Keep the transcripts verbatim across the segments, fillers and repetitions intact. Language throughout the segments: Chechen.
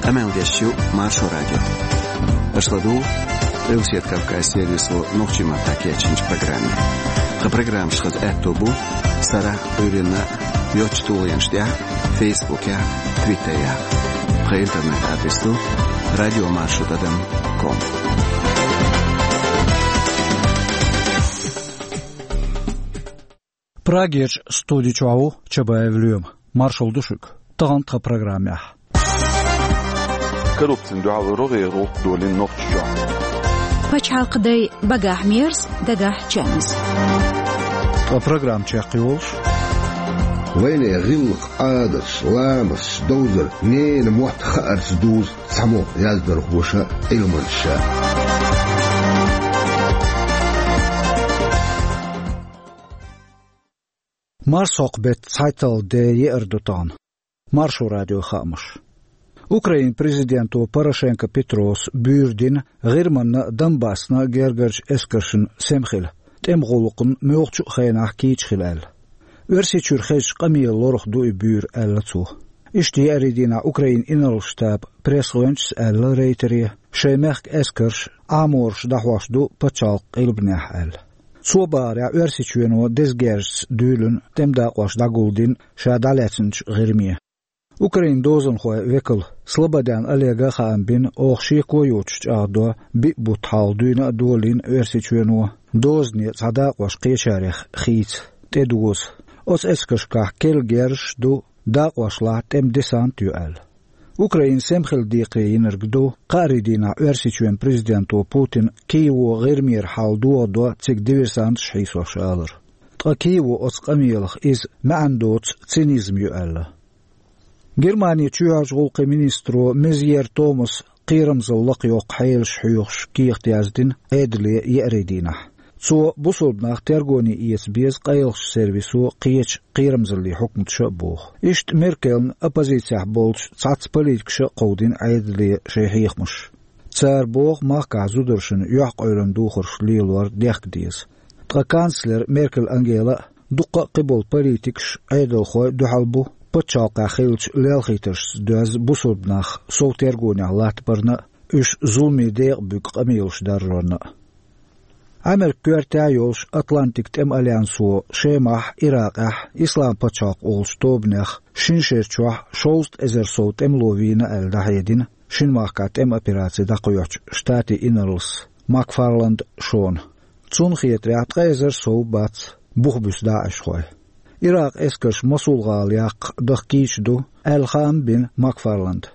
Къамел деш ю Маршо радио. Аша ладугӀу Къилбаседа Кавказан сервисо нохчийн маттахь кечйинчу программе. Тхан программаш хаза аьтто бу сарахь а, Ӏуьйранна а йоцачу тулгӀенаш тӀехь а, Фейсбукехь а, Твиттерехь а. Тхан интернет-адрес ду радио маршо тӀадам ком. Прагерчу студи чохь ву Чабаев Лоьма. Маршалла ду шуьга. Тахана тхан программехь: коррупцина дуьхьал рогӀера гӀуллакх долийна Нохчийчохь. Пачхьалкхан дай багахь мерза, дагахь чевназа. Ткъа программа чекхйолуш: вайна гӀиллакх, Ӏадаташ, ламасташ, довзар, ненан мотт хаарца дузу цхьаммо яздархоша а, Ӏилманчаша а. Марсхьокху беттан цхьайтталгӀа ден еара ду тахана. Маршо радион хаамаш. Украинан президенто Порошенко Петрос буьйр дина ГӀирманна а, Донбассна а гергарчу эскаршна сема хила, тӀеман гӀуллакхна муьлххачу а хенахь кийча хила аьлла. Оьрсийчуьра хезачу къамелан лорах ду и буьйр, аьлла цо. Иштта еарин дийнахь Украинан инарла штабан пресс-гӀоьнчас аьлла Рейтере, шайн мехкан эскарш, Ӏамораш дӀахьош ду пачхьалкхан къилбанехь аьлла. Цо бахарехь, Оьрсийчоьно деза герзаца дуьйлина тӀеман дакъош дӀагулдина ша дӀалаьцначу ГӀирме. Украинан дозанхойн векал Слободян Олега хаам бина, оха шеко йоцуш чӀагӀдо биъ бутт хьалха дуьйна а долийна Оьрсийчоьно дозане цхьа дакъош кхечарех хийца, тӀедоза. Оцу эскаршкахь керла герзаш а ду, дакъошлахь тӀеман десант а ю аьлла. Украина сема хила декхаре йинарг ду кхаарин дийнахь Оьрсийчоьнан президенто Путина Киево ГӀирмера хьал дохадо цига диверсанташ хьийсош алар. Ткъа Киево оцу къамелах иза маьӀна доцу цинизм ю аьлла. Германин чоьхьарчу гӀуллакхийн министро Мезьер Томаса кхерамзалла лакхайоккху хьелаш хьоьхуш кехат яздина Ӏедале еарин дийнахь. Цо бусалба нах тергоне эца беза къайлахчу сервисо кхечу кхерамзаллин хьукматаша а боху. Иштта Меркельна оппозицехь болчу цхьацца политикаша а кховдийна Ӏедале шайн хьехамаш. Цара боху махкахь зударшна юьхькъойлан духарш лелор дехка деза. Ткъа канцлер Меркель Ангела а, дуккха а кхиболу политикаш, Ӏедалхой дуьхьал бу пачхьалкхехь хиллачу лелхийтаршца доьзна бусалба нах сов тергонехь латтабарна а, уьш зуламе декъа буьгу къамелаш даржорна а. Америкин коьртехь а йолуш Атлантикан тӀеман альянсо Шемахь, Иракъехь Ислам пачхьалкх олучу тобанех шина шера чохь шовзткъа эзар сов тӀемало вийна аьлла дӀахьедина шина махкахь тӀеман операци дӀакхоьхьучу штатийн инарлас Макфарланд Шона. Цунна хетарехь, ткъа эзар сов бац бух буьсу даӀишхой. Иракъан эскарш Мосул-гӀала яккха даха кийча ду аьлла хаам бина Макфарланда.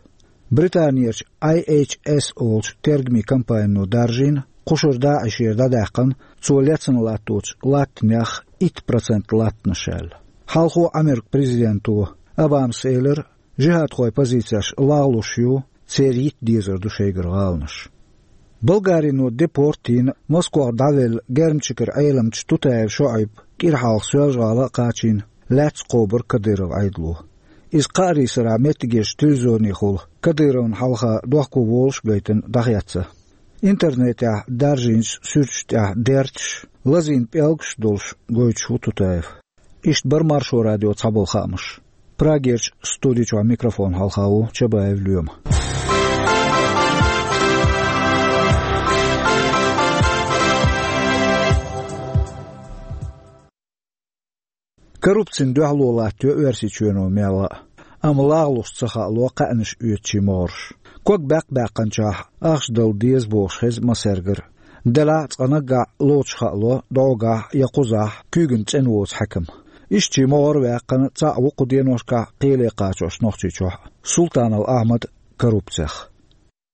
Британерчу I H S олучу тергамийн компанино даржийна, кхушара даӀишера дӀадаьккхина цо лецна латточу латтанех итт процент латтанаш аьлла. Хьалхо Америкин президенто Обамас элира, жихӀадхойн позицеш лагӀлуш ю, церан йитта дезар ду шайгара гӀаланаш. Болгарино депорт йина, Москох дӀавелла Гермчикара Ӏеламча Тутаев ШоӀайб кӀира хьалха Соьлжа-ГӀала а кхачийна, лаьцна кхобура Кадыров Ӏедало. Иза кхаарин сарахь меттигерчу телевизионехула Кадыровна хьалха дохко волуш а гайтина дӀахецна. Интернетехь даржийначу суьрташ тӀехь дерташ, лазийна пӀелгаш а долуш гойтуш ву Тутаев. Иштта бара Маршо радион цхьаболу хаамаш. Прагерчу студи чохь микрофон хьалха ву Чабаев Лоьма. Коррупцина дуьхьало латтайо Оьрсийчоьно мелла а, амма лагӀлуш ца хаало кхаьънаш оьцучийн могӀарш. Ког баьккха баьккхинчохь ахча дала деза бохуш хеза массаьргара. Делахь а цкъа наггахь лоцуш хаало дӀогахь я кхузахь куьйгана цӀена воцу хьаькам. Ишттачийн могӀара ваьккхина цхьаъ ву кху деношкахь кхеле кхачош Нохчийчохь а, Султанов Ахьмад, коррупцех.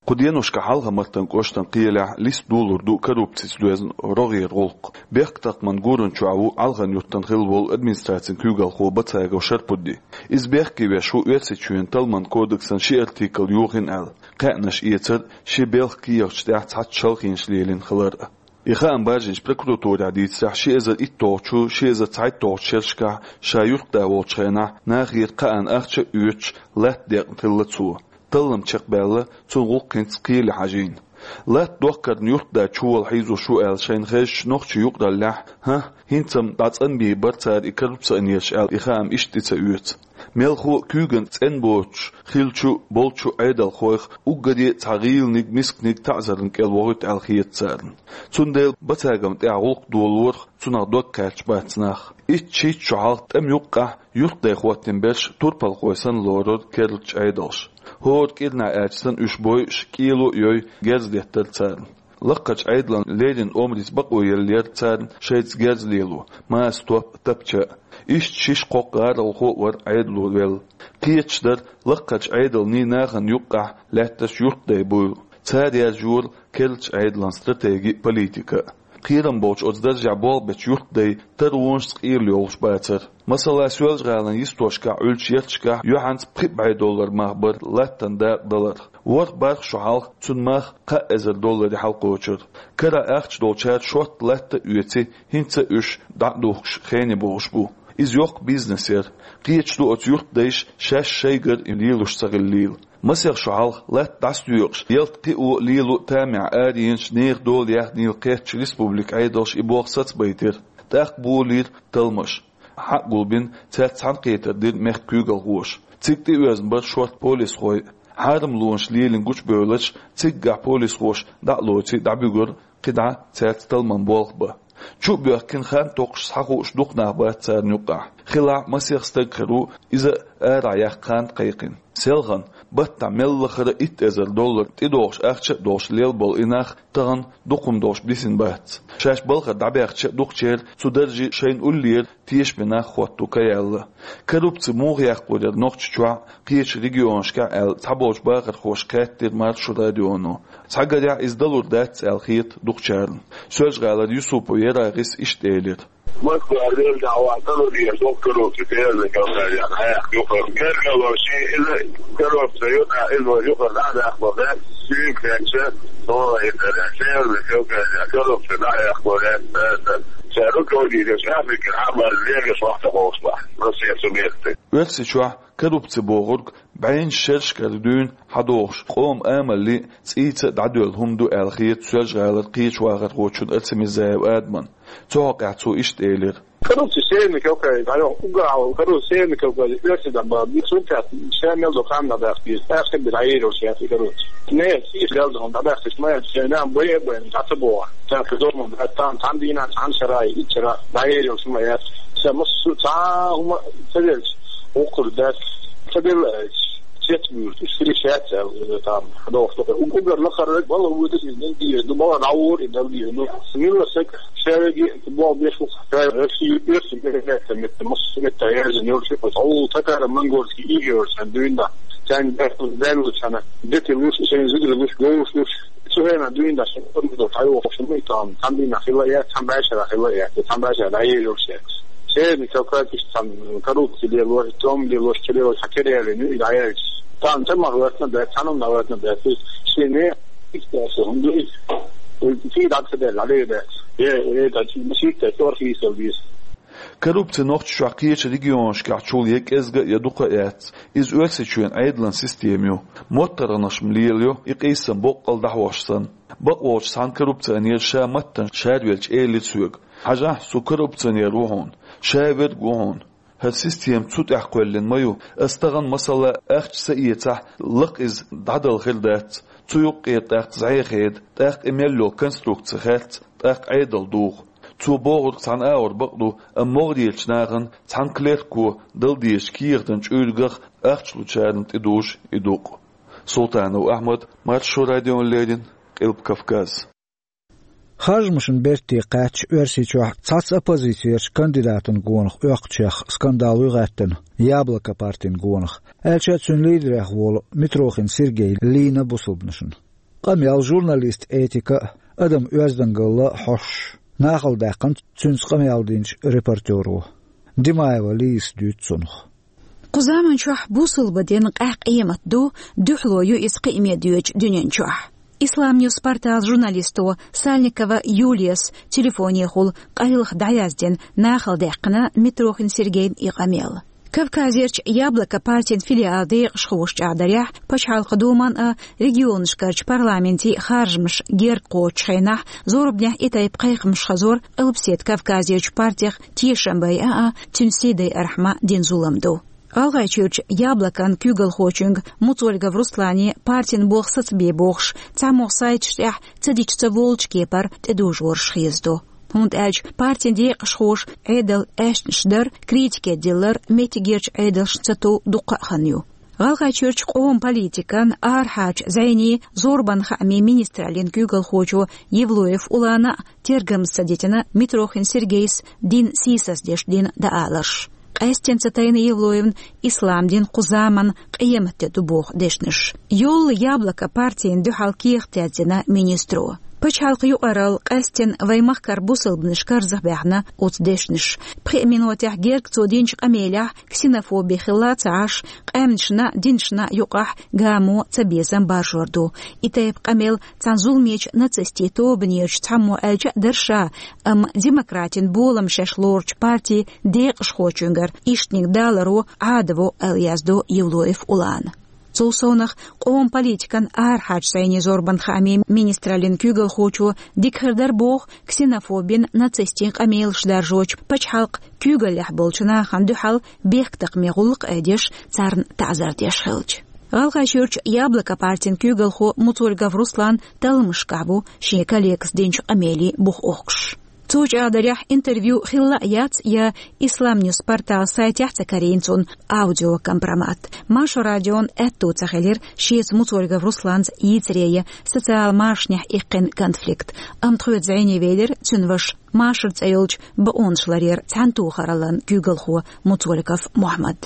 Кху деношкахь Хьалха-Мартан кӀоштан кхелехь листа долур ду коррупцица доьзна рогӀера гӀуллакх. Бехктакхаман гуран чохь ву Алхан-Юьртан хилла волу администрацин куьйгалхо Бацагов Шарпудди. Иза бехке веш ву Оьрсийчоьнан талламан кодексан ши артикл йохийна аьлла, кхаьънаш эцар, ши белхан кехаташ тӀехь цхьацца шалхонаш лелийна хилар а. И хаам баржийначу прокуратурехь дийцарехь, ши эзар итталгӀачу, ши эзар цхьайтталгӀачу шерашкахь ша юьртда волчу хенахь нахера кхаъна ахча а оьцуш латта декъна хилла цо. Таллам чекхбаьлла, цунна гӀуллакх хӀинца кхеле хьажийна. Латта доккхарна юьртда чувала хьийзош ву аьлла шайна хезачу нохчийн юкъараллехь, хӀан, хӀинца-м дӀа цӀанбийр бара цара и коррупционераш аьлла, и хаам иштта тӀе ца оьцу. Мелхо а куьйган цӀена боцуш хиллачу а болчу а Ӏедалхойх уггаре а цхьа гӀийланиг, мисканиг таӀзарна кӀел вохуьйту аьлла хета царна. Цундела бацагам тӀехь гӀуллакх долорах цунах дог кхаьчча бац нах. Итт-шийтта шо хьалха тӀама юккъехь юьртдай хӀоттийна берш турпалхой санна лорура керлачу Ӏедалша. ХӀора кӀирнахь аьлча санна уьш бойуш, кӀело а йой, герз деттара царна. Лакхарчу Ӏедалан леррина омрица бакъо елла яра царна шайца герз лело, маса топ а, тапча а. Иштта шиш-кхоккха гӀаролхо а вара Ӏедало велла. Кхеташ дара, лакхарчу Ӏедалний нахана юккъехь лаьтташ юьртдай буйла. Цара яржора керлачу Ӏедалан стратеги а, политика а. Кхерам болчу оцу даржехь болх бечу юьртдай таронашца къелла йолуш бацара. Масала, Соьлжа-ГӀалин йистошкахь Ӏуьллучу ярташкахь юьхьанца пхи бӀе доллар мах бара латтан дакъа даларх. ВорхӀ-бархӀ шо хьалха цуьнан мах кхаа эзар долларе хьалакхочура. Карахь ахча долчара шортта латта а оьций, хӀинца а уьш дӀа а духкуш хене богӀуш бу. Иза йоккха бизнес яра. Кхеташ ду оцу юьртдайша шаьш шайгара и лелош ца хиллийла. Масех шо хьалха латта дӀасадоькъуш, ялта кхио а, лело а тамехь арайинчу, нехан дола яьхнийла кхеттачу республикан Ӏедалша и болх сацабайтира. ТӀаккха болийра талламаш. Хьа а гулбина, цаьрца цхьаьнакхетар дира мехкан куьйгалхоша. Цига тӀеоьзна бара шортта полисхой а. Хьарамлонаш лелийна гучубевллачу, циггахь полисхоша дӀа а лоций, дӀабуьгура кхидӀа цаьрца талламан болх бан. Чу а боьхкина, хан токхуш схьахууш дукха нах бац царна юккъехь. Хилахь масех стаг хир ву, иза а арахь яккха хан кхайкхина. Селхана, баттахь мел лахара итт эзар доллар тӀедогӀуш ахча а долуш лелла болу и нах тахана дукха хӀума долуш бисина бац. Шаьш балхара дӀабаьхча а дукхачеран цу даржийн шайна уллера тешаме нах хӀотто каяьлла. Коррупци муха яккхалур яра Нохчийчохь а, кхечу регионашкахь а аьлла, цхьаболчу бахархоша хаьттира Маршо радионо. Цхьагарехь иза далур дац аьлла хета дукхачарна. Соьлжа-ГӀалара Юсупов Ярагъис иштта элира. Москва велла дӀа вахана лур яра докторовцы, Северный Кавказе, хьаяккха юха. Гергало ши, иза коррупция ю, иза вай юха дӀа а даккхалур дац, шуьйга хенча, тхуна и дара, Северный Кавказе, коррупция дӀа а яккхалур яц, ша руководитель, Африка, Ӏамал, легаш вахта ховш бахь, Россия субъекты. Оьрсийчохь коррупци бохург бӀеннаш шерашкара дуьйна хьадогӀуш, къоман амалли цӀийца а дӀадоьлла хӀума ду аьлла хета Соьлжа-ГӀалара кхечу вахархочунна Арсамирзаев Адамна. Цу хьокъехь цо иштта элира. Коррупция Северный Кавказе дӀайоху, уггар хьалха коррупция Северный Кавказе оьрсийн дӀа бан. Цунна тӀехь ша мел до хан дӀадаккха деза, тӀаккха бен дӀаерзош яц и коррупция. Не, иштта галдахана дӀадаккхаш ма яц, шайн нам бай а байна, дӀа ца боху. ТӀаккха зовман бац, тхан, тхан дийнахь цхьана шарахь, итт шарахь дӀаерзош ма яц. Ша массо а цхьа хӀума ца делча, воккхур дац, ца делла аьлча, цец буьйр, уьш хила шаьц аьлла, там, хьадогӀуш тохура. Уггар лакхара валла вуьйдуш иза дина деза ду, бала дӀавора и дала деза ду. Милла саг шаьвеги болх беш ву, Россия оьрсийн миллион метта, массо а метта яьржина йолуш ю, хьо татаро-монгольский иге йолуш сан дуьйна да. Царна бехк даьллачхьана, дети луш, шайн зударий луш, говш луш. Цу хенахь дуьйна да, шайн къурмадо хьайохуш ма и там, цхьана дийнахь хила а яц, цхьана бӀе шарахь хила а яц, цхьана бӀе шарахь дӀаерзош яц. Северный Кавказе иштта цхьана коррупци лелош, тӀом лелош, ца лелош, хьан кера ялийна ю и дӀаелча. Цхьана ца мах ваьтна бац, цхьана хӀума ваьтна бац. Шен не иштта хӀума ду иза. Ций дӀа ца делла, дӀале бац. Е, е, да, шийтта, цӀор хийсал деза. Коррупци Нохчийчохь кхечу регионашкахь чул я кӀезга а, я дукха а яц. Иза Оьрсийчоьнан Ӏедалан система ю. МоттаргӀанаш-м лелайо, и къийсам боккъал дӀахьош санна. Бакъволчу цхьана коррупционера ша маттана шарвелча элира соьга: «Хьажахь, со коррупционер ву хьуна, шаверг ву хьуна. ХӀара система цу тӀехь кхоьллина ма ю. Ас тахана, масала, ахча ца эцахь, лакха иза дӀадала хир дац. Цу юккъера тӀаккха зӀе хеда, тӀаккха и мел йолу конструкци хаьрца, тӀаккха Ӏедал духу». Цо бохург цхьана агӀор бакъ ду, амма могӀарерчу нахана цхьана клерко дала дезачу кехатан чуьйргах ахча лучарна тӀедужу и дукъ. Султанов Ахьмад, Маршо радиона леррина, Къилба Кавказ. Харжамашна берте кхаьчча, Оьрсийчохь цхьацца оппозицерчу кандидатан гонах оьккхучех скандал ю гӀаьттина, «Яблоко» партин гонах, аьлча а цуьнан лидерех волу Митрохин Сергей лийна бусалбанашна. Къамел журналистан этика а, адам оьздангалла а хьоьстуш, нахала даьккхина цуьнца къамел динчу репортеро. Димаева Лизас дуьйцу цунах. Кху заманчохь бусалба дин къаьхьа къемат ду, дуьхьало ю иза кхиаме доьдучу дуьнен чохь. «Ислам Ньюс» порталан журналисто Сальникова Юлияс телефонехула къайлаха дӀаяздина, нахала даьккхина Митрохин Сергейн и къамел. Кавказерчу «Яблоко» партин филиалан декъашхоша чӀагӀдарехь, Пачхьалкхан Думан а, регионашкарчу парламентийн а харжамаш герга кхочучу хенахь, зорбанехь и тайпа кхайкхамаш хазор Къилбаседа Кавказерчу партех тешам байъа а, цуьнан сий дайархьама дина зулам ду. ГӀалгӀайчуьрчу «Яблоко»-н куьйгалхочуьнга Муцольгов Руслане партин болх сацабе бохуш, цхьаммо сайташ тӀехь ца дича ца волчу кепара тӀедожораш хезадо. ХӀунда аьлча партин декъашхоша Ӏедал аьшнаш дар, критике диллар меттигерчу Ӏедалшна ца тов дуккха а хан ю. ГӀалгӀайчуьрчу къоман политикан, арахьарчу зӀенийн, зорбанан хаамийн министраллин куьйгалхочо Евлоев Улана а тергамза ца дитина Митрохин Сергейс дин сийсаздеш дина дааларш. Къаьсттина ца тайна Евлоевна ислам дин кху заманна къематде ду боху дешнаш. Йолла «Яблоко» партина дуьхьал кехат яздина министро. Пачхьалкхан юкъаралла къаьсттина вайн махкара бусалбанаш карзахбаьхна оцу дешнаша. Пхи минотехь герга цо динчу къамелехь ксенофоби хилла а ца Ӏаш, къаьмнашна, динашна юкъахь гамо цабезам баржор ду. И тайпа къамел цхьана зуламечу нацистийн тобанерчу цхьаммо аьлча а дара ша, амма демократин болам шаьш лоручу партин декъашхочуьнгара ишттаниг даларо Ӏадат ду аьлла яздо Евлоев Улана. Цул совнах къоман политикан, арахьарчу зӀенийн, зорбанан хаамийн министраллин куьйгалхочо дика хир дара боху ксенофобин, нацистийн къамелаш даржочу пачхьалкхан куьйгаллехь болчу нахана дуьхьал бехктакхамийн гӀуллакх а деш, царна таӀзар деш хилча. ГӀалгӀайчуьрчу «Яблоко» партин куьйгалхо Муцольгов Руслан талламашкахь ву шен коллегас динчу къамелан бух охкуш. Цу чӀагӀдарехь интервью хилла а яц я «Исламньюс» порталан сайтехь а ца карийна цунна аудиокомпромат. Маршо радион аьтто ца хилира шеца Муцольгов Русланца йийцаре я социал машанехь иккхина конфликт. Амма тхоьца зӀене велира цуьнан ваша, машар цӀе йолчу бакъонаш ларъяран цхьаьнатохараллан куьйгалхо Муцольгов Мухьаммад.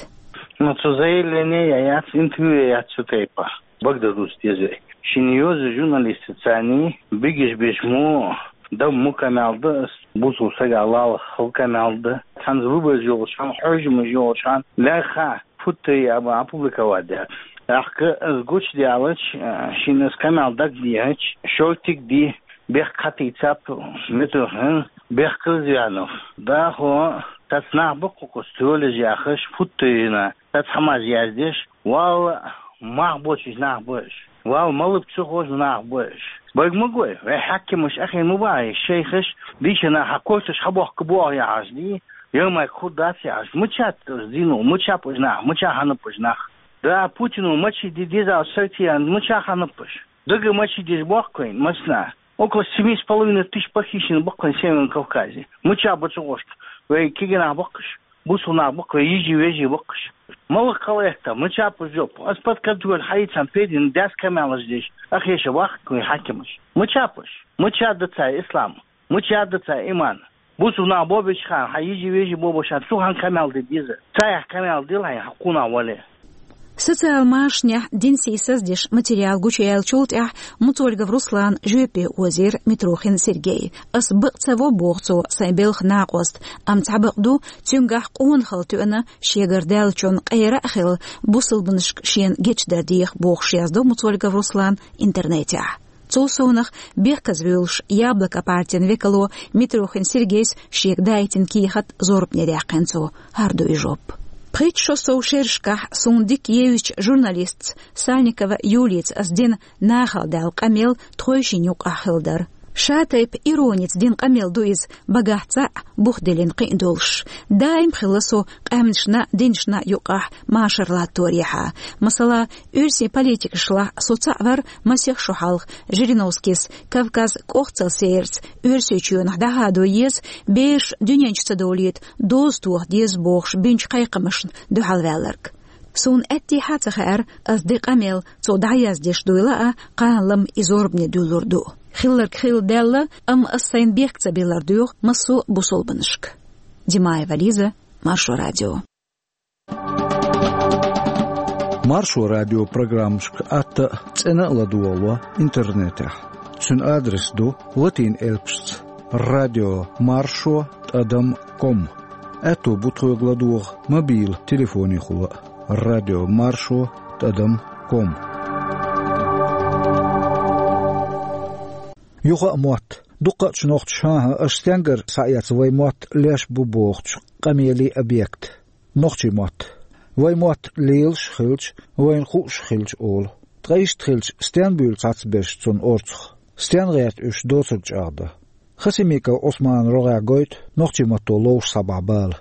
Ну, цу заявление яц, интервью яц цу тайпа. Бакъдерг дуза деза вай. Шина йоза журналистаца царний бигиш беш мо, дам мо камел да ас, бусул сага лала хал камел да. Цхьанза выбораш йолчхьан, хьожамаш йолчхьан, лаьрххьа футтарий аба опубликовать даьр. ТӀаккха ас гучудаьлча, шина ас камел дагадехьача, шортиг ди, бехк кхатийцап, метрохин, бехк кхазвянов. Дахо, тац нах баккхукху столежа яхаш, футтарина, тац хьамаз яздеш, валла, мах бочуш нах бу аш. Валла, малып цу хожу нах бу аш. Бага ма гой, вай хьаькамаш ахин ма баьхьи, шайхаш, дийша нах хьа корташ хьабохка боху яхьаш ди, ямай кху дац яхьаш, мучат дину, мучап уж нах, муча хьанап уж нах. Да, Путину мачи ди дезал сайтиян, муча хьанап уж. Дага мачи деш бохкуин, масна. Около семи с половиной тысяч похищено баккхайн Северном Кавказе. Муча бацу гӀошка. Вай кигинах баккхаш. Бусулнах баккха, вай йижи вежи баккхаш. Малых калаэхта, муча пу жоп. Ас под контроль хьаийцан педин дас камелаш деш. Ахеша вахка вай хьакимаш. Муча пуш. Муча даца ислам. Муча даца иман. Бусулнах бобиш хан, хьа йижи вежи бобуш хан, цу хан камел де диза. Цаях камел дил хьайн хьакуна вале. Социал машанехь дин сийсаздеш материал гучуяьллачул тӀаьхьа Муцольгов Руслан жоьпе озийра Митрохин Сергей. Ас бакъ ца во, боху цо, сайн белхан накъост, амма цхьа бакъ ду, цуьнгахь къонахалла тоьъна, шегара даьллачун къера а хилла, бусалбанашка шена гечдар деха, бохуш яздо Муцольгов Руслан интернетехь. Цул совнах, бехказа вуьйлуш, «Яблоко» партин векало Митрохин Сергейс шега даийтина кехат зорбане даьккхина цо, хӀара ду и жоп. Пхийтта шо сов шерашкахь суна дика евзачу журналистца Сальникова Юлица ас дина нахала даьлла къамел тхойшинна юкъахь хилла дара. Ша тайпа ироница дина къамел ду иза, багахь цхьаъ, бух диллина кхин а долуш. Даим хилла со къаьмнашна, динашна юкъахь машар латторехьа. Масала, оьрсийн политикашлахь со цхьаъ вара масех шо хьалха Жириновскийс Кавказ кӀохцал сераца Оьрсийчоьнах дӀахадо еза, бераш дуьнен чу ца довлийта доза тоха деза бохуш бинчу кхайкхамашна дуьхьалваьлларг. Суна аьттехьа а ца хаьара, ас дина къамел цо дӀаяздеш дуйла а, кхана-лама и зорбане дуьллур ду. Хилларг хилла даьлла, амма ас сайна бехк ца биллар доьху массо а бусулбанашка. Димаева Лиза, Маршо радио. Маршо радио программашка атта а, цӀена а ладогӀало интернетехь. Цуьнан адрес ду латин элпашца: радио маршо тӀадам ком. Аьтто бу тхоьга ладогӀа мобил телефонехула а: радио маршо тӀадам ком. Юха а мотт. Дуккха а чу нохчаша, хӀан-хӀа, аша стенгара схьаэца вай мотт леш бу бохучу къамеле объект. Нохчийн мотт. Вай мотт лелаш а хилча, вайна хууш а хилча олу. Ткъа иштта хилча, стен буьйлу цхьацберш цунна орцах? Стен гӀерта уьш доцург чӀагӀдан? Хасимиков Ӏусмана рогӀехь гойту нохчийн матто ловш схьабахьа бала.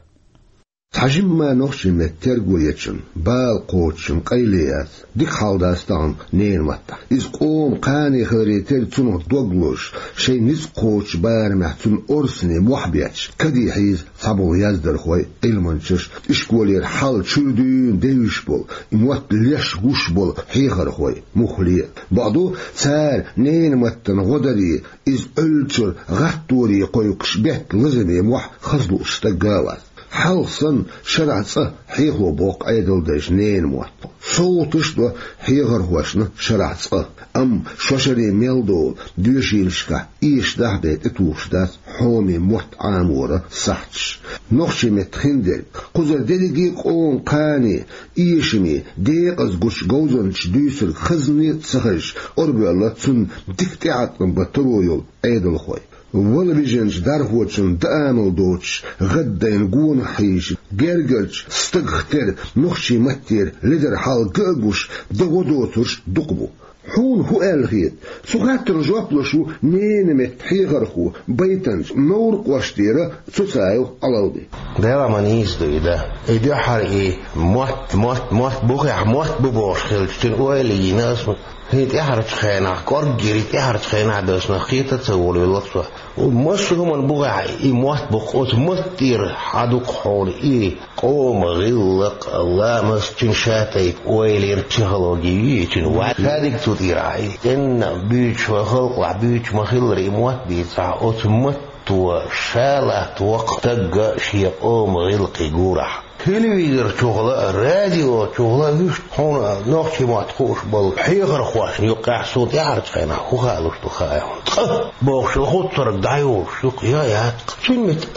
Цхьа жимма нохчийн меттан терго ечун, бала кхочушун къайле яц, дика хьал дац тахан ненан маттахь. Иза къоман кхане хиларе терра цунах дог лозуш, шайн ницкъ кхочучу барамехь цунна орцане мохь бетташ, каде хьийза цхьаболу яздархой, Ӏилманчаш, ишколера хьал чуьра дуьйна девзаш болу, и мотт леш гуш болу хьехархой, муххале а. Бакъду, цара ненан маттана гӀо даре, иза Ӏуьллучуьра гӀатторе кхойкхуш бетта лазаме мохь хаза лууш стаг а вац. Хьалха санна, шарахь цкъа хьехо боккху Ӏедалдайша ненан мотт. СовгӀаташ а до хьехархошна шарахь цкъа, амма шо шаре мел долу доьшийлашкахь эшадахь бен тӀетухуш дац хьоме мотт Ӏаморан сахьташ. Нохчийн меттан хиндерг, кхузара дерриге а къоман кхане, эшаме, декъаза гучу говзанчаша дуьйцург хазне а ца хезаш, орабоьлла цунна дика тӀеӀаткъам бан таро йолу Ӏедалхой. Вала вижинчу дархочунна даамал доцуш, гӀаддайна гонах хьийзаш, гергарчу стагах терра нохчийн маттера ледара хьал ган а гуш, дан гӀо доцурш дукха бу. Хьуна хӀун аьлла хета? Цу хаттарна жоп луш ву ненан меттан хьехархо, байтанча Новр-кӀоштера Цуцаев Ӏалалди. Делахь ма нийса ду и дан. И дуьххьара и мотт, мотт, мотт бухехь, мотт бу бохуш хилча, цуьнан ойла йина аса. ХӀинца тӀаьхьарчу хенахь, кӀорггера и тӀаьхьарчу хенахь а доьшуш нах кхета а ца волавелла со. Массо а хӀуманна бухехь и мотт бу-кх, оцу маттера хьан ду-кх хьуна и къоман гӀиллакх, ламаз, цуьнан ша тайпа ойланан психологи юй и цуьнан ваьлла. Ша дика цу тӀера хьан и. ЦӀенна буьйцуш, вайн халкъалахь буьйцуш ма-хиллара, и мотт бийцахь, оцу матто ша латтаво-кх стаг шен къоман гӀиллакхе гурахь. Телевизор чухула а, радио чухула а вуьшта хьуна нохчийн мотт хууш болу хьехархошна юккъехь суна тӀаьхьарчу хенахь хӀун хаалуш ду хаьий хьуна? Цкъа бохуш йолу хӀуттарг дӀайолуш ю-кх, я яц-кх. Цуьнан меттан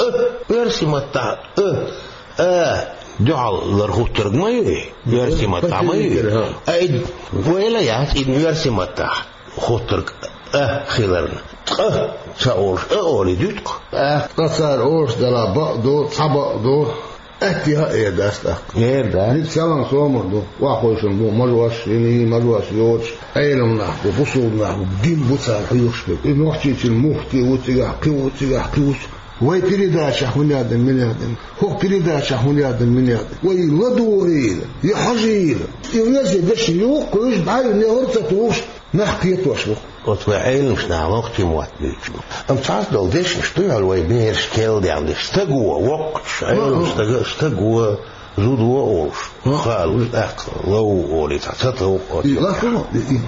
а, оьрсийн маттахь а, а дуьхьал лар хӀуттарг ма ю и, оьрсийн маттахь ма ю и. А и вайла яц и оьрсийн маттахь хӀуттарг а хиларна. Цкъа ца олуш а олий дуьту-кх. Цкъа цара олуш делахь бакъ ду, цхьа бакъ ду. Атта яха а эр дац тӀаккха. Эр дац. Ницкъ, салам, сомах ду. Охьахойшина бу мажош, йиний мажош йоцуш, Ӏелам нах бу, бусулба нах бу, дин бу цара хьоьхуш берг. И Нохчийчуьра муфти ву цигахь, кхин ву цигахь, кхин ву цигахь. Вай передачехь хӀун яздина, мила яздина? ХӀокху передачехь хӀун яздина, мила яздина? Вай ладогӀийла, я хьажийла. И веза дешна юхкуьйсуш, дӀа а йина, хӀара ца тухуш, нах кхетош ву. Оцу вайн Ӏеламчу наха нохчийн мотт буьйцуш бу. Амма цхьацца долу дешнаш ду хьуна вайн бераш керла даьлла деш. Стаг ву, воккхачу Ӏеламчу стага, стаг ву, зуда ву олуш. Хаалуш тӀаккха лов олий цхьа ца тов оцу. Лахула, и, и,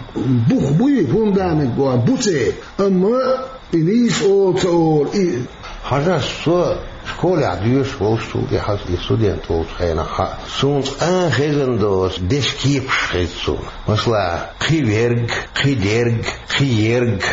бух буй, фундамент бу, буц и. Амма и нийса олу, ца олу, и. Хьажа, со школехь доьшуш волуш, цул тӀаьхьа и студент волчу хенахь, суна цкъа а хезна доцу дешан кепаш хеза суна. Масала, кхин верг, кхин дерг, кхин ерг.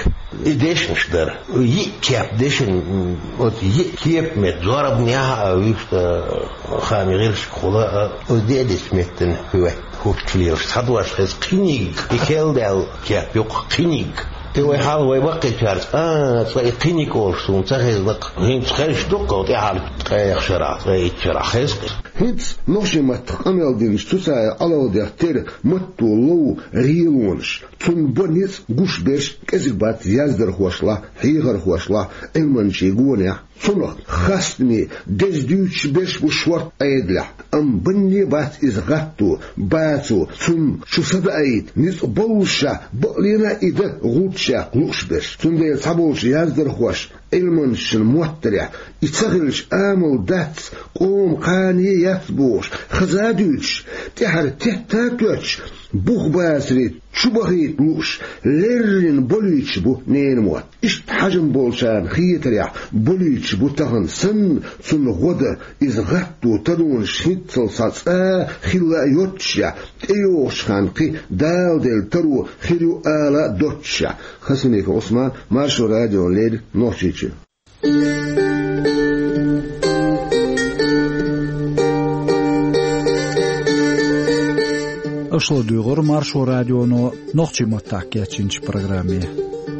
И дешнаш дара. Йиъ кеп дешан, м, оцу йиъ кепан метта зорбанехь а, вуьшта, а, хаамийн гӀирсашкахула а, оцу деа дешан меттана хӀоьттина хӀуттуш лелаш. Цхьа дош хеза кхиниг, и керла даьлла кеп ю-кх, кхиниг. И вай хьалха вай баккхийчаьрца, а, цкъа и кхиниг олуш суна ца хезна-кх. ХӀинца хезаш ду-кх тӀаьхьара ткъех шарахь, ткъе итт шарахь хеза-кх. ХӀинца нохчийн маттах къамел динчу Цуцаев Ӏалалдех терра матто лов гӀелонаш, цунна бо ницкъ гуш берш кӀезиг бац яздархошлахь, хьехархошлахь, Ӏилманчийн гонехь. Цунах хастаме, деза дуьйцуш берш бу шортта Ӏедалехь, амма банне бац иза гӀатто, бацо, цунна шу садаийта ницкъ боллушехь, бакълина а и дан гӀулччех лууш берш. Цундела цхьаболчу яздархоша Ӏилманчашна моттарехь, и ца хилча амал дац, къоман кхане яц бохуш, хаза а дуьйцуш, тӀаьхьара тетта а тоьттуш, бух бацаре чу бахийта лууш, леррина болуьйтуш бу ненан мотт. Иштта хьажам болчарна хетарехь, болуьйтуш бу тахана санна, цунна гӀо дан, иза гӀатто, таронаш хӀинццалц цхьа цкъа а хилла а йоццушехь, тӀейогӀучу ханна кхин даладелла таро хир ю ала а доццушехь. Хасимиков Ӏусман, Маршо радиона леррина, Нохчийчуьра. Аша ладуьйгӀира Маршо радионо нохчийн маттахь кечйинчу программе.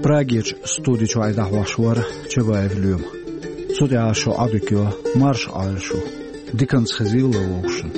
Прагерчу студи чохь и дӀахьош вара Чабаев Лоьма. Цу тӀехь шун Ӏодика йо, марша Ӏойла шу. Диканца хезийла вовшашна.